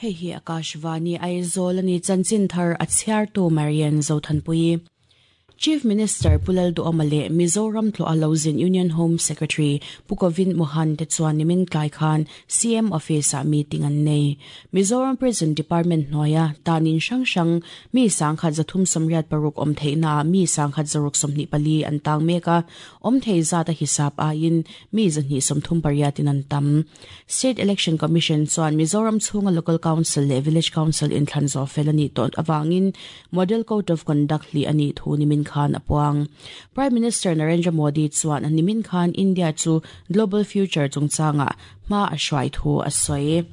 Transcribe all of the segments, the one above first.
Hei hi Akashvani Aizawl a ni chanchin thar a chhiartu Marian Zothanpuii. Chief Minister Pu Lalduhawma leh Mizoram tlawh a lo zin Union Home Secretary Pu Govind Mohan te chuan nimin tlai khan CM Office ah meeting an nei. Mizoram Prison Department hnuaia tanin hrang hrang mi sangkhat 386 awm theihnaah mi sangkhat 624 an tang mek a, awm thei zat a hisap aiin mi 238 in an tam. State Election Commission chuan Mizoram chhunga Local Council leh Village Council inthlan zawh fel a nih tawh avangin Model Code of Conduct hlih a nih thu nimin khan a puang. Prime Minister Narendra Modi chuan nimin khan India chu Global Future chungchangah hma a hruai thu a sawi.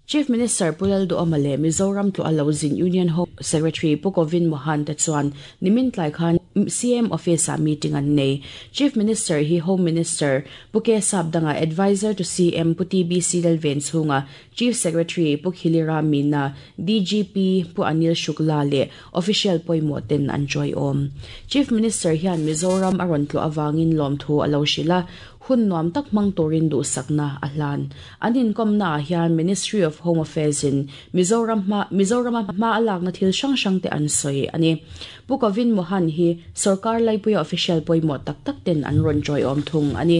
Chief Minister Pu Lalduhawma leh Mizoram tlawh a lo zin Union Home Secretary Pu Govind Mohan te chuan nimin tlai khan CM Office-ah meeting an nei. Chief Minister hi Home Minister Pu K Sapdanga, Adviser to CM Pu TBC Lalvenchhunga, Chief Secretary Pu Khilira Meena, DGP Pu Anil Shukla leh official pawimawh ten an chawiawm. Chief Minister hian Mizoram a rawn tlawh avangin lawmthu a lo hrilh a, Hun nuam tak hmang turin duhsakna a hlan. An inkawmnaah hian Ministry of Home Affairs in Mizoram hma Mizorama hma a lakna thil hrang hrang te an sawi a ni. Pu Govind Mohan hi sorkar laipuia official pawimawh tak tak ten an rawn chawiawm thung a ni.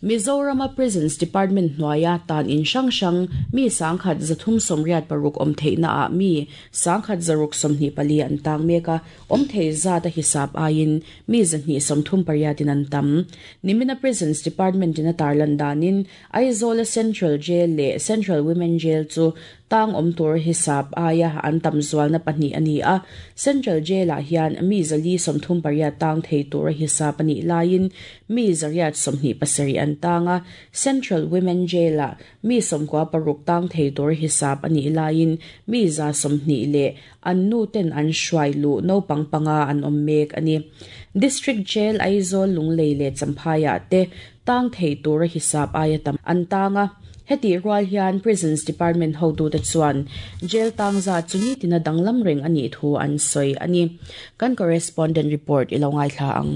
Mizorama Prisons Department hnuaia tan in hrang hrang mi 1386 awm theihnaah mi 1624 an tang mek a, awm thei zat a hisap aiin Mi 238 in an tam. Nimina Prisons Department in a tarlan danin Aizawl-a Central Jail leh Central Women Jail chu tang awm tur hisap aia an tam zualna pahnih a ni a. Central Jail-ah hian mi 438 tang thei tura hisap a nih laiin mi 827 an tang a. Central Women Jail-ah mi 96 tang thei tur hisap a nih laiin mi 120 leh An nu ten an hruai luh naupang panga an awm mek a ni. District Jail Aizawl, Lunglei leh Champhaiah te tang thei tura hisap aia tam an tang a. Hetih rual hian Prisons Department hotute chuan jail tang zat chu nitina danglam reng a nih thu an sawi a ni. Kan correspondent report i lo ngaithla ang.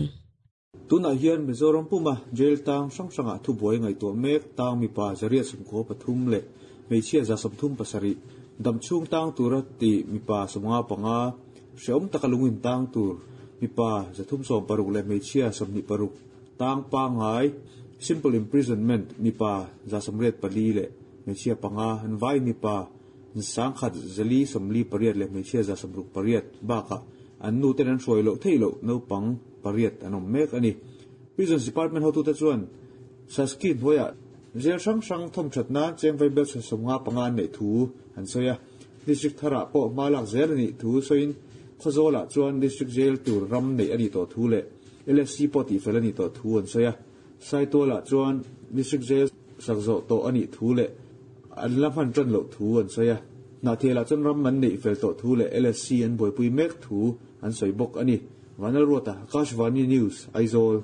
Tunah hian Mizoram puma jail tang hrang hrangah thubuai ngaihtuah mek tang mipa 193 leh hmeichhia 37 damchhung tang tura ti mipa 55, hrehawm taka lungin tang tur mipa 360 leh hmeichhia 26 tang pangngai, simple imprisonment, mipa 84 leh hmeichhia panga, an vai mipa 1448 leh hmeichhia 68 bakah an nuten an hruai loh theih loh naupang pariat an awm mek a ni. Prisons Department hotute chuan Sasky hnuaiah jail hrang hrang thawmthat nan cheng vaibel 55 an neih thu an sawi a. District tharah pawh hma lak zel a nih thu sawiin Khawzawlah chuan District Jail tur ram neih a nih tawh thu leh LSC pawh tihfel a nih tawh thu an sawi a. Saitualah chuan District Jail sak zawh tawh a nih thu leh an la hman tan loh thu an sawi a. Hnahthialah chuan ram an neih fel tawh thu leh LSC an buaipui mek thu an sawi bawk a ni. Vanlalruata, Akashvani News, Aizawl.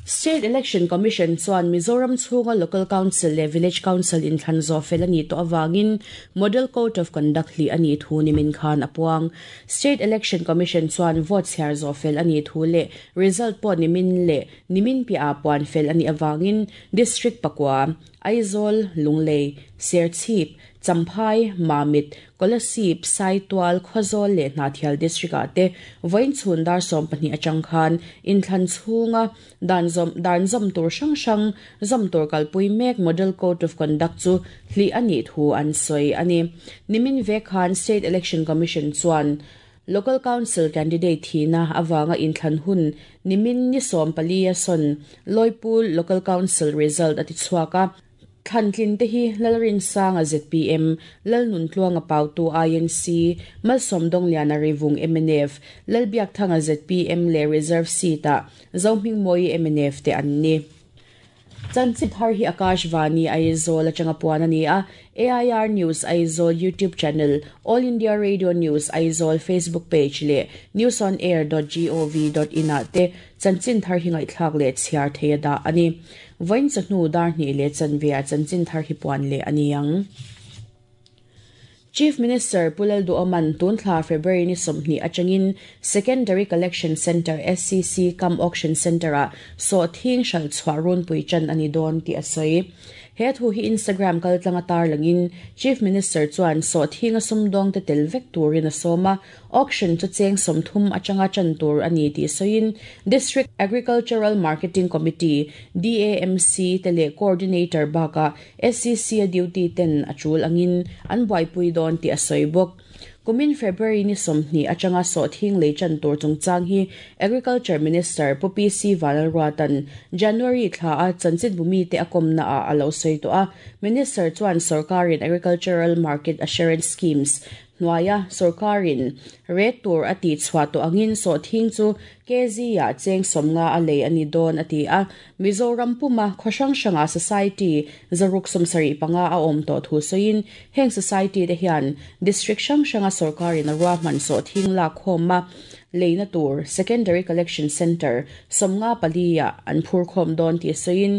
State Election Commission chuan Mizoram chhunga Local Council leh Village Council inthlan zawh fel a nih tawh avangin Model Code of Conduct hlih a nih thu nimin khan a puang. State Election Commission chuan vote chhiar zawh fel a nih thu leh result pawh nimin leh nimin piahah puan fel a nih avangin District pakua, Aizawl, Lunglei, Serchhip, Champhai, Mamit, Kolasib, Saitual, Khawzawl leh Hnahthial District-ah te vawiin chhun dar 12 atang khan inthlan chhunga dan zawm dan zawm tur hrang hrang zawm tur kalpui mek Model Code of Conduct chu hlih a nih thu an sawi a ni. Nimin vek khan State Election Commission chuan Local Council candidate thihna avanga inthlan hun nimin ni 14 a sawn Lawipul Local Council result a ti chhuak a. Thlantlin te hi Lalrinsanga zpm, Lalnuntluanga Pautu INC, Malsawmdawngliana Rivung mnf, Lalbiakthanga zpm leh Reserve seat-ah Zohmingmawii mnf te an ni. Chanchin thar hi Akashvani Aizawl atanga puan a ni a, AIR News Aizawl YouTube channel, All India Radio News Aizawl Facebook page leh newsonair dot gov dot in ah te chanchin thar hi ngaihthlak leh chhiar thei a dah a ni. Vawiin chawhnu dar hnih leh chanve ah chanchin thar hi puan leh a ni ang. Chief Minister Pu Lalduhawman tun thla February ni 20 atangin Secondary Collection Centre, SCC, cum Auction Centre ah sawhthing hralh chhuah runpui tan a ni dawn tih a sawi. He thu hi Instagram kaltlanga tarlangin Chief Minister chuan sawhthinga sumdawngte tel vek turin a sawm a, auction chu cheng 30 atanga ṭan tur a ni tih sawiin District Agricultural Marketing Committee, DAMC, te leh Coordinator bakah SCC-a duty ten a ṭul angin an buaipui dawn tih a sawi bawk. Kumin February ni 20 atanga sawhthing lei ṭan tur chungchang hi Agriculture Minister Pu PC Vanlalruata'n January thla a chanchinbu mite a kawmna ah a lo sawi tawh a. Minister chuan sorkarin Agricultural Market Assurance Schemes hnuaia sorkarin rate tur a tihchhuah tawh angin sawhthing chu kg-ah cheng 50 a lei a ni dawn a ti a. Mizoram puma khaw hrang hrangah society 675 a awm tawh thu sawiin heng society te hian district hrang hranga sorkarin a ruahman sawhthing lak khawm a leina tur secondary collection centre 54 ah an phur khawm dawn tih sawiin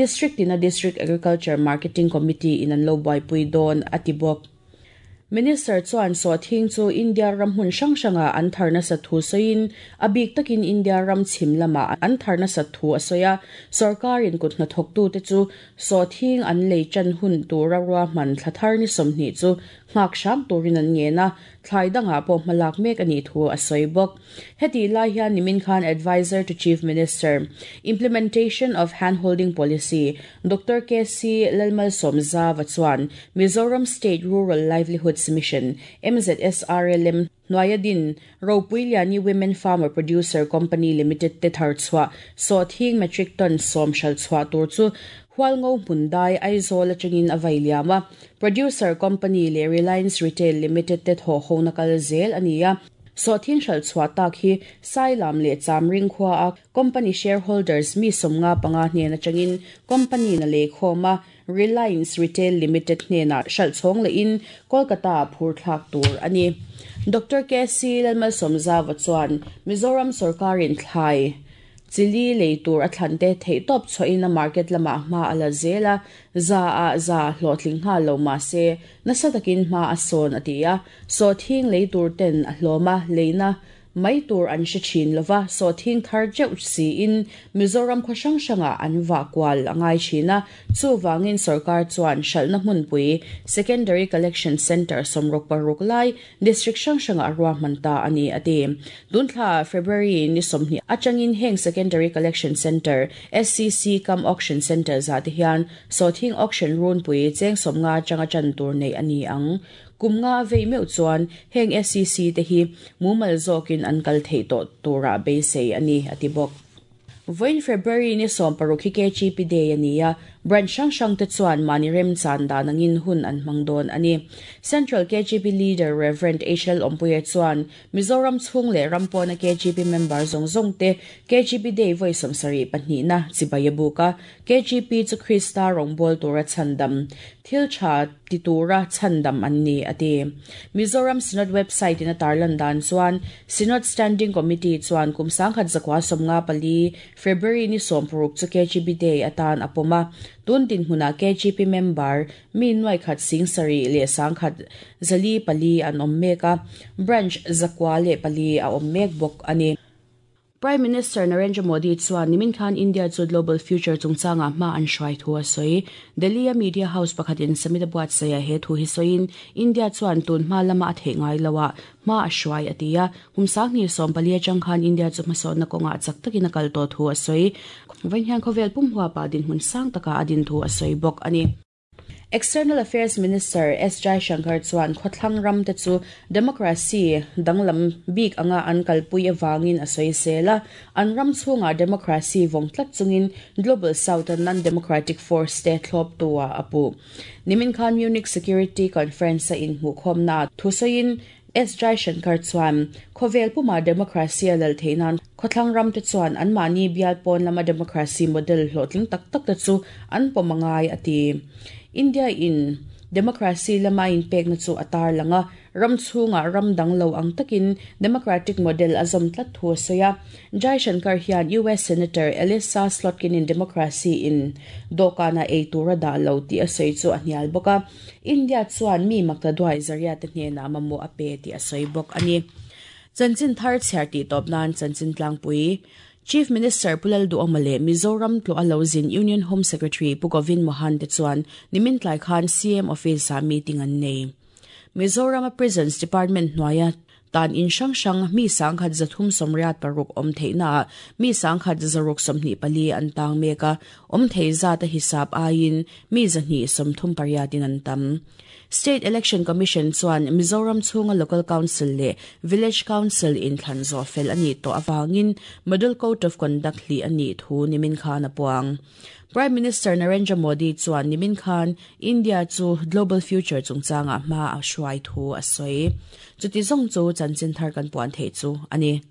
district tina District Agriculture Marketing Committee in an lo buaipui dawn a ti bawk. Minister chuan sawhthing chu India ram hmun hrang hrangah an thar nasa thu sawiin a bik takin India ram chhim lamah an thar nasa thu a sawi a, sorkarin kut hnathawktute chu sawhthing an lei ṭan hun tura ruahman thla thar ni 20 chu nghak hram turin an ngen a, thlai dangah pawh hmalak mek a nih thu a sawi bawk. Heti lai hian nimin khan Adviser to Chief Minister, Implementation of Handholding Policy, Doctor KC Lalmalsawmzava chuan Mizoram State Rural Livelihoods Mission, MZSRLM, hnuaia din Ropuiliani Women Farmer Producer Company Limited te thar chhuah sawhthing metric ton 10 hral chhuah tur chu Hualngo hmundai Aizawl atangin a vai liam a. Producer Company leh Reliance Retail Limited te thawh hona kal zel a ni a. Sawhthing hral chhuah tak hi Sailam leh Chamring khua a company shareholders mi 55 hnen atangin company na lei khawm a Reliance Retail Limited hnenah hral chhawng lehin Kolkata ah phur thlak tur a ni. Doctor KC Lalmalsawmzava chuan Mizoram sorkarin thlai chili lei tur a thlan te theihtawp chhuahin a market lamah hma a la zel a, za ah za hlawhtling nghal lo mah se nasa takin hma a sawn a ti a, sawhthing lei tur ten a hlawm a, leina mai tur an hre thin lova, sawhthing thar teuh siin Mizoram khaw hrang hrangah an vah kual a ngai thin a, chuvangin sorkar chuan hralhna hmunpui Secondary Collection Centre 66 lai District hrang hrangah a ruahman ta a ni a ti. Tunthla February ni 20 atangin heng Secondary Collection Centre, SCC, cum Auction Centre zah te hian sawhthing auction runpui cheng 50 atanga tan tur nei a ni ang. Kum nga a vei meuh chuan heng SCC te hi mumal zawkin an kal theih tawh turah beisei a ni, a ti bawk. Vawiin February ni 16 hi KGP Day a ni a, branch hrang hrang te chuan mahni remchan dan angin hun an hmang dawn a ni. Central KGP Leader Rev. HL Awmpuia chuan Mizoram chhung leh ram pawna KGP member zawng zawng te KGP Day vawi 72na chibai a buk a, KGP chu Krista rawngbâwl tura chhandam, thil tha ti tura chhandam an ni, a ti. Mizoram Synod website in a tarlan dan chuan Synod Standing Committee chuan kum 1954 February ni 16 chu KGP Day atan a pawm a, tun dinhmunah KGP member mi nuaikhat 7,000 leh 1,104 an awm mek a, branch 904 a awm mek bawk a ni. Prime Minister Narendra Modi chuan nimin khan India chu Global Future chungchangah hma an hruai thu a sawi. Delhi-a media house pakhatin summit a buatsaih he thu hi sawiin India chuan tun hma lama a theih ngai lo ah hma a hruai a ti a. Kum 2014 atang khan India chu hmasawnna kawngah chak takin a kal tawh thu a sawi. Vawiin hian khawvel pum huapa dinhmun sang takah a din thu a sawi bawk a ni. External Affairs Minister S Jaishankar chuan khawthlang ram te chu democracy danglam bik anga an kalpui avangin a sawi sel a, an ram chhungah democracy vawng tlat chungin Global South a non-democratic force te thlawp tua a puh. Nimin khan Munich Security Conference a inhmuhkhawmna ah thusawiin S Jaishankar chuan khawvel puma democracy a lal theih nan khawthlang ram te chuan anmahni bial pawn lama democracy model hlawhtling tak tak te chu an pawm a ngai a ti. India in democracy lama inpekna chu a tar lang a, ram chhungah ram dang lo ang takin democratic model a zawm tlat thu a sawi a. Jaishankar hian US Senator Elissa Slotkin in democracy in dawhkanah ei tur a dah lo tih a sawi chu a hnial bawk a. India chuan mi makta duai zaria te hnenah mamawh a pe tih a sawi bawk a ni. Chanchin thar chhiar tih tawp nan chanchin tlangpui. Chief Minister Pu Lalduhoma leh Mizoram tlawh a lo zin Union Home Secretary Pu Govind Mohan te chuan nimin tlai khan CM Office-ah meeting an nei. Mizoram-a Prisons Department hnuaia tan in hrang hrang mi 1386 awm theihnaah mi 1124 an tang mek a, awm thei zat a hisap aiin mi 238 in an tam. State Election Commission chuan Mizoram chhunga Local Council leh Village Council inthlan zawh fel a nih tawh avangin Model Code of Conduct hlih a nih thu nimin khan a puang. Prime Minister Narendra Modi chuan nimin khan India chu Global Future chungchangah hma a hruai thu a sawi. Chuti zawng chu chanchin thar kan puan theih chu a ni.